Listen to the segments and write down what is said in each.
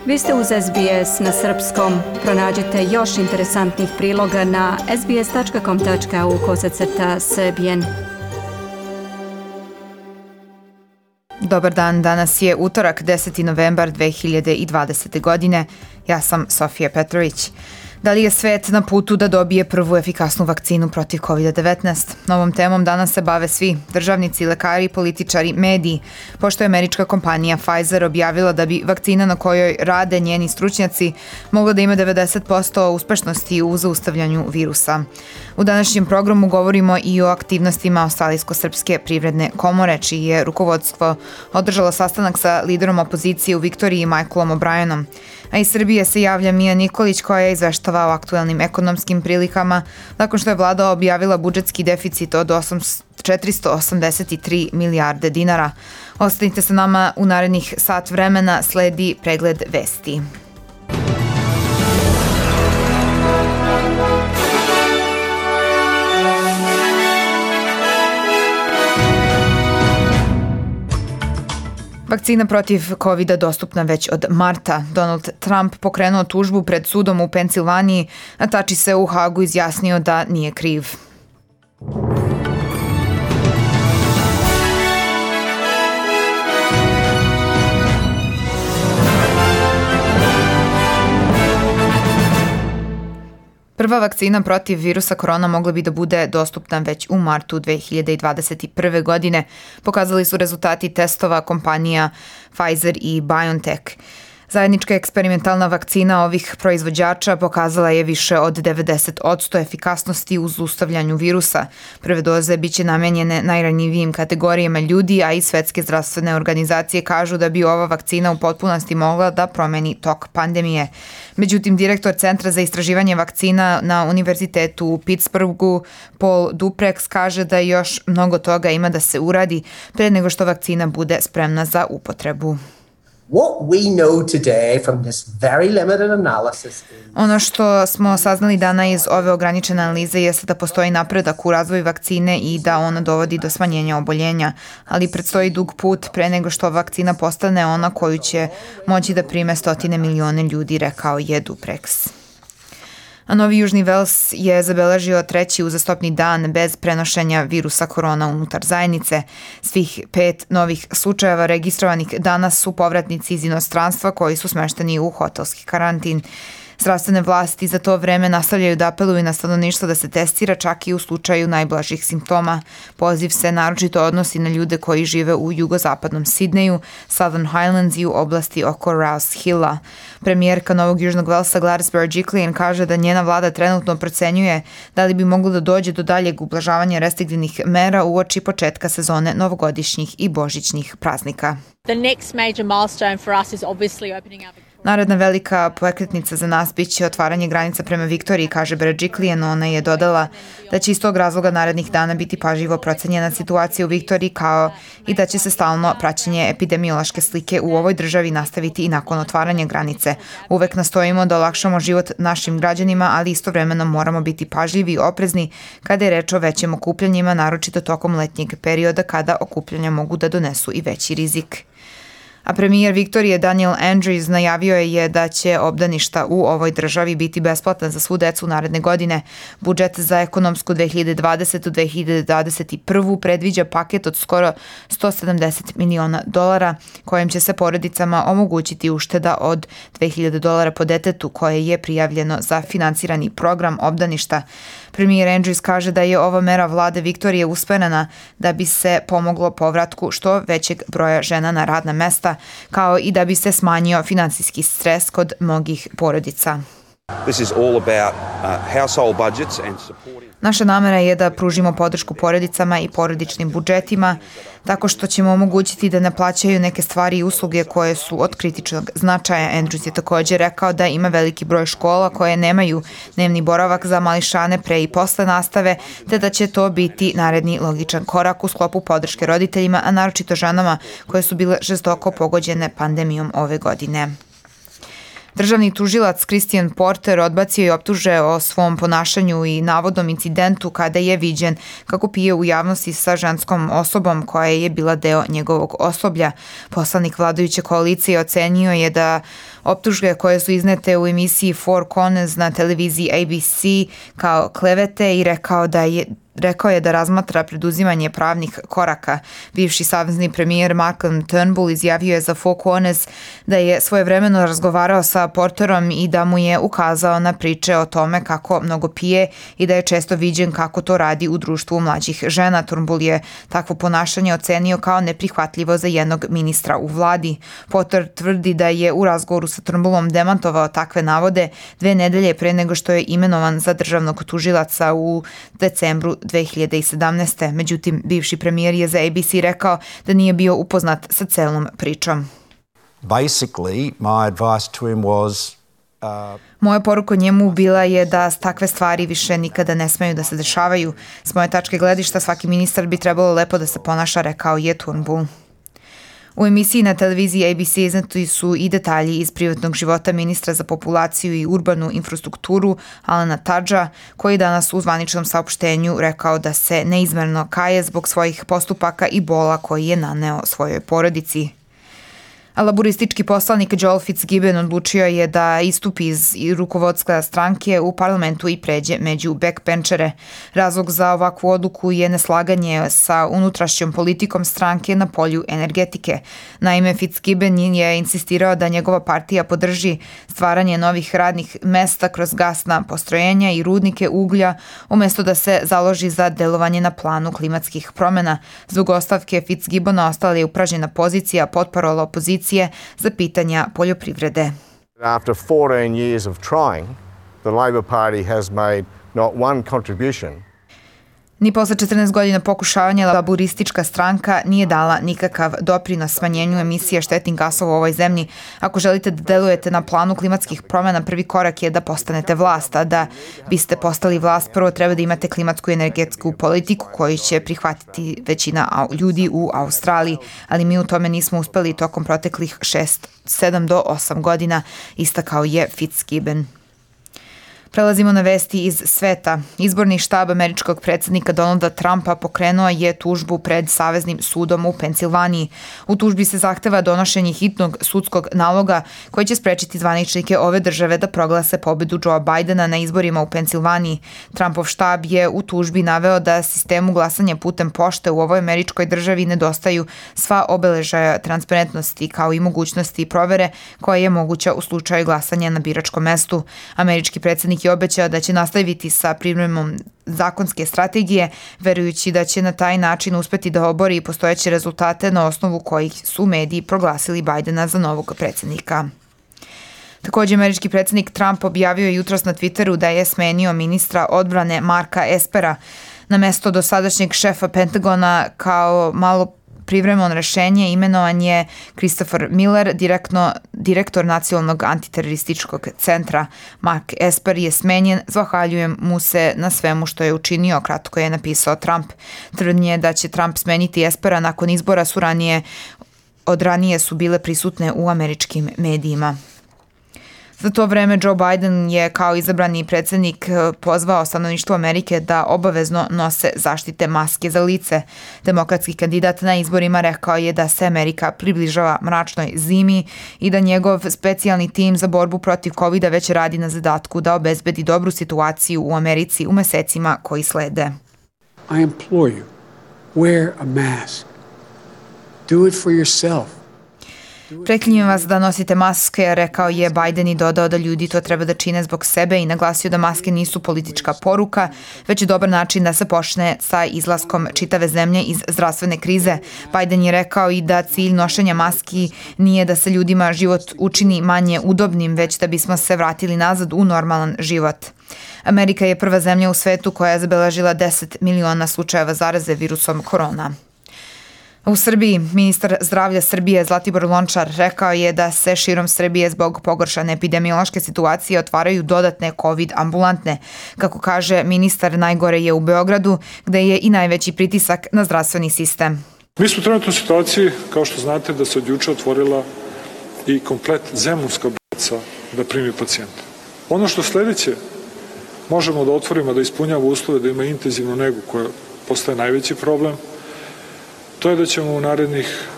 Vi ste uz SBS na srpskom. Pronađite još interesantnih priloga na sbs.com.au/srbijen. Dobar dan, danas je utorak 10. novembar 2020. godine. Ja sam Sofija Petrović. Da li je svet na putu da dobije prvu efikasnu vakcinu protiv COVID-19? Novom temom danas se bave svi, državnici, lekari, političari, mediji, pošto je američka kompanija Pfizer objavila da bi vakcina na kojoj rade njeni stručnjaci mogla da ima 90% uspešnosti u zaustavljanju virusa. U današnjem programu govorimo i o aktivnostima Australijsko-srpske privredne komore, čiji je rukovodstvo održalo sastanak sa liderom opozicije u Viktoriji Michaelom O'Brienom. A iz Srbije se javlja Mija Nikolić koja izveštava o aktuelnim ekonomskim prilikama nakon što je vlada objavila budžetski deficit od 483 milijarde dinara. Ostanite sa nama u narednih sat vremena, sledi pregled vesti. Vakcina protiv COVID-a dostupna već od marta. Donald Trump pokrenuo tužbu pred sudom u Pensilvaniji, a Tači se u Hagu izjasnio da nije kriv. Prva vakcina protiv virusa korona mogla bi da bude dostupna već u martu 2021. godine, pokazali su rezultati testova kompanija Pfizer i BioNTech. Zajednička eksperimentalna vakcina ovih proizvođača pokazala je više od 90% efikasnosti u zaustavljanju virusa. Prve doze biće namenjene najranjivijim kategorijama ljudi, a i svetske zdravstvene organizacije kažu da bi ova vakcina u potpunosti mogla da promeni tok pandemije. Međutim, direktor Centra za istraživanje vakcina na Univerzitetu u Pittsburghu, Paul Duprex, kaže da još mnogo toga ima da se uradi pre nego što vakcina bude spremna za upotrebu. Ono što smo saznali dana iz ove ograničene analize jeste da postoji napredak u razvoju vakcine i da ona dovodi do smanjenja oboljenja, ali predstoji dug put pre nego što vakcina postane ona koju će moći da prime 100 miliona ljudi, rekao je Duprex. A Novi Južni Vels je zabeležio treći uzastopni dan bez prenošenja virusa korona unutar zajednice. Svih 5 novih slučajeva registrovanih danas su povratnici iz inostranstva koji su smešteni u hotelski karantin. Zdravstvene vlasti za to vreme nastavljaju da apeluju na stanovništvo da se testira čak i u slučaju najblažih simptoma. Poziv se naročito odnosi na ljude koji žive u jugozapadnom Sidneju, Southern Highlands i u oblasti oko Rouse Hilla. Premijerka Novog Južnog Velsa Gladys Berejiklian kaže da njena vlada trenutno procenjuje da li bi moglo da dođe do daljeg ublažavanja restriktivnih mera uoči početka sezone novogodišnjih i božićnih praznika. Naredna velika prekretnica za nas biće otvaranje granica prema Viktoriji, kaže Berejiklian. Ona je dodala da će iz tog razloga narednih dana biti pažljivo procenjena situacija u Viktoriji, kao i da će se stalno praćenje epidemiološke slike u ovoj državi nastaviti i nakon otvaranja granice. Uvek nastojimo da olakšamo život našim građanima, ali istovremeno moramo biti pažljivi i oprezni kada je reč o većim okupljanjima, naročito tokom letnjeg perioda kada okupljanja mogu da donesu i veći rizik. A premijer Viktorije Daniel Andrews najavio je da će obdaništa u ovoj državi biti besplatna za svu decu naredne godine. Budžet za ekonomsku 2020-2021 predviđa paket od skoro $170 miliona, kojim će se porodicama omogućiti ušteda od $2.000 po detetu koje je prijavljeno za finansirani program obdaništa. Premijer Andrews kaže da je ova mera vlade Viktorije usmerena da bi se pomoglo povratku što većeg broja žena na radna mesta, kao i da bi se smanjio finansijski stres kod mnogih porodica. Naša namera je da pružimo podršku porodicama i porodičnim budžetima tako što ćemo omogućiti da ne plaćaju neke stvari i usluge koje su od kritičnog značaja. Andrews je također rekao da ima veliki broj škola koje nemaju dnevni boravak za mališane pre i posle nastave, te da će to biti naredni logičan korak u sklopu podrške roditeljima, a naročito ženama koje su bile žestoko pogođene pandemijom ove godine. Državni tužilac Christian Porter odbacio je optuže o svom ponašanju i navodnom incidentu kada je viđen kako pije u javnosti sa ženskom osobom koja je bila deo njegovog osoblja. Poslanik vladajuće koalicije ocenio je da optužbe koje su iznete u emisiji Four Corners na televiziji ABC kao klevete i rekao je da razmatra preduzimanje pravnih koraka. Bivši savezni premijer Malcolm Turnbull izjavio je za Four Corners da je svojevremeno razgovarao sa Porterom i da mu je ukazao na priče o tome kako mnogo pije i da je često viđen kako to radi u društvu mlađih žena. Turnbull je takvo ponašanje ocenio kao neprihvatljivo za jednog ministra u vladi. Porter tvrdi da je u razgovoru sa Turnbullom demantovao takve navode 2 nedelje pre nego što je imenovan za državnog tužilaca u decembru 2017. Međutim, bivši premijer je za ABC rekao da nije bio upoznat sa celom pričom. Basically, my advice to him was Moja poruka njemu bila je da takve stvari više nikada ne smeju da se dešavaju. S moje tačke gledišta svaki ministar bi trebalo lepo da se ponaša, rekao je Turnbull. U emisiji na televiziji ABC izneti su i detalji iz privatnog života ministra za populaciju i urbanu infrastrukturu Alana Tudgea, koji danas u zvaničnom saopštenju rekao da se neizmerno kaje zbog svojih postupaka i bola koji je naneo svojoj porodici. A laburistički poslanik Joel Fitzgibbon odlučio je da istupi iz rukovodstva stranke u parlamentu i pređe među backbenčere. Razlog za ovakvu odluku je neslaganje sa unutrašnjom politikom stranke na polju energetike. Naime, Fitzgibbon je insistirao da njegova partija podrži stvaranje novih radnih mesta kroz gasna postrojenja i rudnike uglja, umjesto da se založi za delovanje na planu klimatskih promjena. Zbog ostavke Fitzgibbona ostala je upražnjena pozicija potparola opozicije za pitanja poljoprivrede. After 14 years of trying, the Labor Party has made not one contribution. Ni posle 14 godina pokušavanja laburistička stranka nije dala nikakav doprinos smanjenju emisije štetnih gasova u ovoj zemlji. Ako želite da delujete na planu klimatskih promjena, prvi korak je da postanete vlast, a da biste postali vlast, prvo treba da imate klimatsku i energetsku politiku koju će prihvatiti većina ljudi u Australiji, ali mi u tome nismo uspeli tokom proteklih 7 do 8 godina, istakao je Fitzgibbon. Prelazimo na vesti iz sveta. Izborni štab američkog predsjednika Donalda Trumpa pokrenuo je tužbu pred Saveznim sudom u Pensilvaniji. U tužbi se zahteva donošenje hitnog sudskog naloga koji će sprečiti zvaničnike ove države da proglase pobedu Joea Bidena na izborima u Pensilvaniji. Trumpov štab je u tužbi naveo da sistemu glasanja putem pošte u ovoj američkoj državi nedostaju sva obeležaja transparentnosti kao i mogućnosti provere koja je moguća u slučaju glasanja na biračkom mestu. Američki predsjednik je obećao da će nastaviti sa pripremom zakonske strategije, verujući da će na taj način uspeti da obori postojeće rezultate na osnovu kojih su mediji proglasili Bidena za novog predsjednika. Također, američki predsjednik Trump objavio jutros na Twitteru da je smenio ministra odbrane Marka Espera na mesto dosadašnjeg šefa Pentagona. Kao malo privremeno rešenje imenovan je Christopher Miller, direktor Nacionalnog antiterorističkog centra. Mark Esper je smenjen, zahvaljujem mu se na svemu što je učinio, kratko je napisao Trump. Tvrdnje da će Trump smeniti Espera nakon izbora od ranije su bile prisutne u američkim medijima. Za to vreme Joe Biden je kao izabrani predsjednik pozvao stanovništvo Amerike da obavezno nose zaštite maske za lice. Demokratski kandidat na izborima rekao je da se Amerika približava mračnoj zimi i da njegov specijalni tim za borbu protiv COVID-a već radi na zadatku da obezbedi dobru situaciju u Americi u mesecima koji slede. I implore you, wear a mask. Do it for yourself. Preklinjem vas da nosite maske, rekao je Biden i dodao da ljudi to treba da čine zbog sebe i naglasio da maske nisu politička poruka, već je dobar način da se počne sa izlaskom čitave zemlje iz zdravstvene krize. Biden je rekao i da cilj nošenja maski nije da se ljudima život učini manje udobnim, već da bismo se vratili nazad u normalan život. Amerika je prva zemlja u svetu koja je zabeležila 10 miliona slučajeva zaraze virusom korona. U Srbiji, ministar zdravlja Srbije Zlatibor Lončar rekao je da se širom Srbije zbog pogoršane epidemiološke situacije otvaraju dodatne COVID ambulantne. Kako kaže ministar, najgore je u Beogradu, gde je i najveći pritisak na zdravstveni sistem. Mi smo trenutno u situaciji, kao što znate, da se od juče otvorila i komplet zemunska bolnica da primi pacijente. Ono što sledeće možemo da otvorimo, da ispunjava uslove, da ima intenzivnu negu koja postaje najveći problem, to je da ćemo u narednih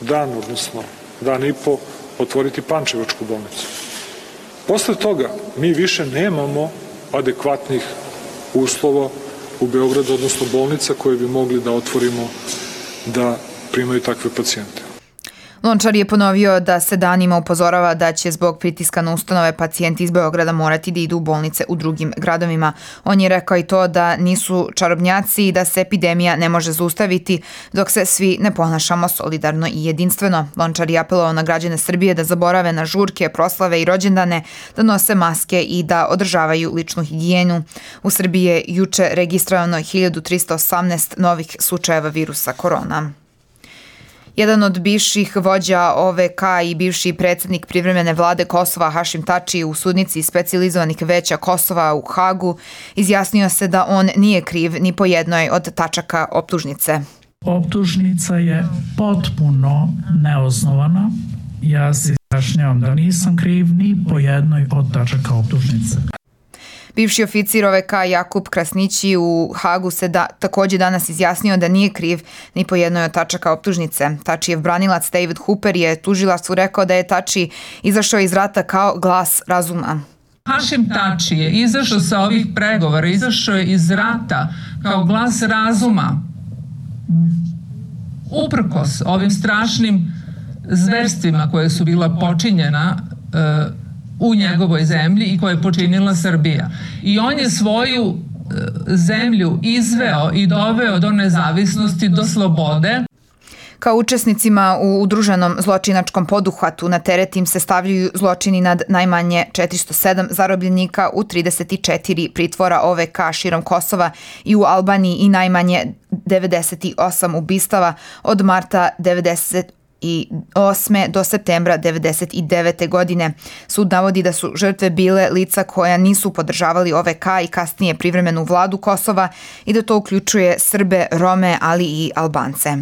dan, odnosno dan i po, otvoriti Pančevačku bolnicu. Posle toga mi više nemamo adekvatnih uslova u Beogradu, odnosno bolnica koje bi mogli da otvorimo da primaju takve pacijente. Lončar je ponovio da se danima upozorava da će zbog pritiska na ustanove pacijenti iz Beograda morati da idu u bolnice u drugim gradovima. On je rekao i to da nisu čarobnjaci i da se epidemija ne može zaustaviti dok se svi ne ponašamo solidarno i jedinstveno. Lončar je apelovao na građane Srbije da zaborave na žurke, proslave i rođendane, da nose maske i da održavaju ličnu higijenu. U Srbiji je juče registrovano 1318 novih slučajeva virusa korona. Jedan od bivših vođa OVK i bivši predsjednik privremene vlade Kosova Hašim Tači u sudnici specijalizovanih veća Kosova u Hagu izjasnio se da on nije kriv ni po jednoj od tačaka optužnice. Optužnica je potpuno neosnovana. Ja se izjašnjavam da nisam kriv ni po jednoj od tačaka optužnice. Bivši oficir OVK Jakub Krasnići u Hagu se također danas izjasnio da nije kriv ni po jednoj od tačaka optužnice. Tačijev branilac David Hooper je tužilaštvu rekao da je Tači izašao iz rata kao glas razuma. Hašim Tači je izašao sa ovih pregovora, izašao je iz rata kao glas razuma, uprkos ovim strašnim zverstvima koje su bila počinjena u njegovoj zemlji i koje je počinila Srbija. I on je svoju zemlju izveo i doveo do nezavisnosti, do slobode. Kao učesnicima u udruženom zločinačkom poduhvatu na teret im se stavljaju zločini nad najmanje 407 zarobljenika u 34 pritvora OVK širom Kosova i u Albaniji i najmanje 98 ubistava od marta 1998. do septembra 1999. godine. Sud navodi da su žrtve bile lica koja nisu podržavali OVK i kasnije privremenu vladu Kosova i da to uključuje Srbe, Rome, ali i Albance.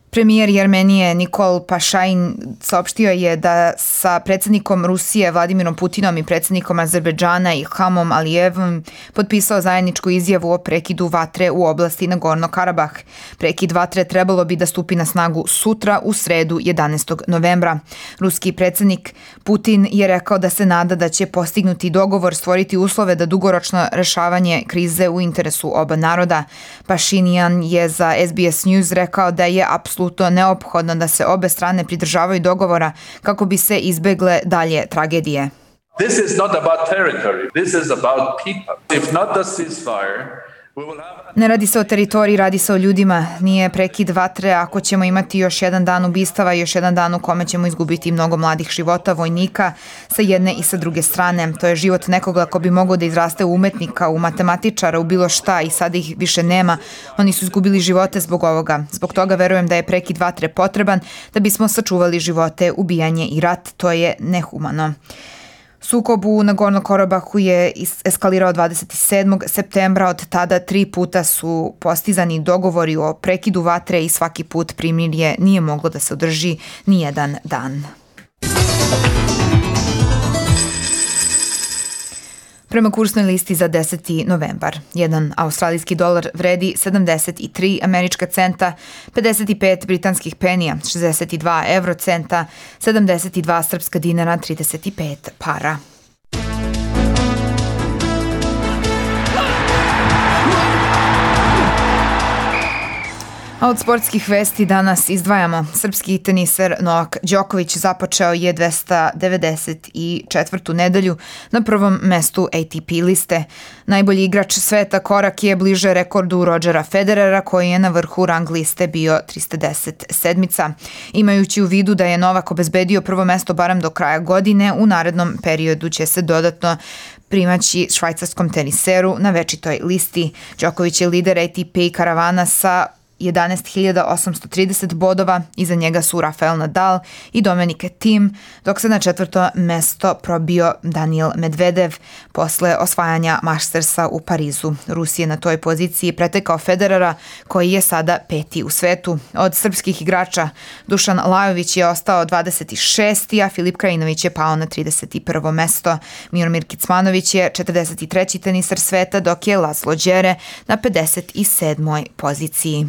Premijer Jermenije Nikol Pašajin saopštio je da sa predsjednikom Rusije Vladimirom Putinom i predsjednikom Azerbejdžana Ilhamom Alijevom potpisao zajedničku izjavu o prekidu vatre u oblasti Nagorno-Karabah. Prekid vatre trebalo bi da stupi na snagu sutra u sredu 11. novembra. Ruski predsjednik Putin je rekao da se nada da će postignuti dogovor stvoriti uslove da dugoročno rešavanje krize u interesu oba naroda. Pašinjan je za SBS News rekao da je apsolutno neophodno da se obe strane pridržavaju dogovora kako bi se izbegle dalje tragedije. This is not about territory. This is about people. If not the ceasefire, ne radi se o teritoriji, radi se o ljudima. Nije prekid vatre ako ćemo imati još jedan dan ubistava i još jedan dan u kome ćemo izgubiti mnogo mladih života, vojnika sa jedne i sa druge strane. To je život nekoga ko bi mogao da izraste u umetnika, u matematičara, u bilo šta i sada ih više nema. Oni su izgubili živote zbog ovoga. Zbog toga verujem da je prekid vatre potreban da bismo sačuvali živote, ubijanje i rat. To je nehumano. Sukob u Nagorno-Karabahu je eskalirao 27. septembra. Od tada 3 puta su postizani dogovori o prekidu vatre i svaki put primirje nije moglo da se održi ni jedan dan. Prema kursnoj listi za 10. novembar, jedan australijski dolar vredi 73 američka centa, 55 britanskih penija, 62 eurocenta, 72 srpska dinara, 35 para. A od sportskih vesti danas izdvajamo. Srpski teniser Novak Đoković započeo je 294. nedelju na prvom mestu ATP liste. Najbolji igrač sveta korak je bliže rekordu Rodgera Federera koji je na vrhu rang liste bio 317. Imajući u vidu da je Novak obezbedio prvo mesto barem do kraja godine, u narednom periodu će se dodatno primaći švajcarskom teniseru na večitoj listi. Đoković je lider ATP karavana sa 11.830 bodova, iza njega su Rafael Nadal i Dominic Thiem, dok se na 4. mesto probio Daniil Medvedev posle osvajanja Mastersa u Parizu. Rus je na toj poziciji pretekao Federera, koji je sada 5. u svetu. Od srpskih igrača Dušan Lajović je ostao 26. a Filip Krajinović je pao na 31. mesto. Miomir Kecmanović je 43. tenisar sveta, dok je Laslo Đere na 57. poziciji.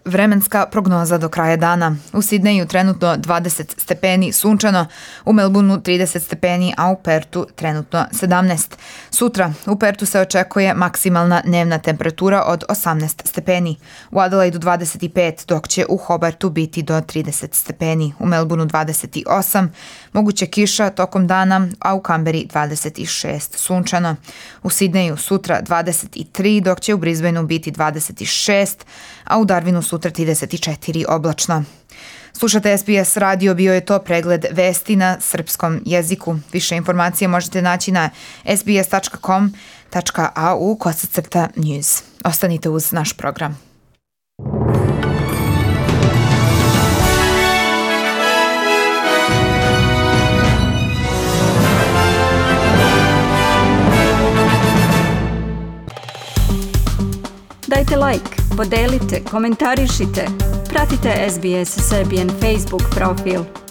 Vremenska prognoza do kraja dana. U Sidneju trenutno 20 stepeni sunčano, u Melbourneu 30 stepeni, a u Pertu trenutno 17. Sutra u Pertu se očekuje maksimalna dnevna temperatura od 18 stepeni, u Adelaidu 25, dok će u Hobartu biti do 30 stepeni, u Melbourneu 28, moguće kiša tokom dana, a u Kamberi 26 sunčano. U Sidneju sutra 23, dok će u Brisbaneu biti 26, a u Darwinu sutra 34 oblačno. Slušate SBS radio, bio je to pregled vesti na srpskom jeziku. Više informacije možete naći na sbs.com.au/news. Ostanite uz naš program. Dajte like, podelite, komentarišite, pratite SBS Serbian Facebook profil.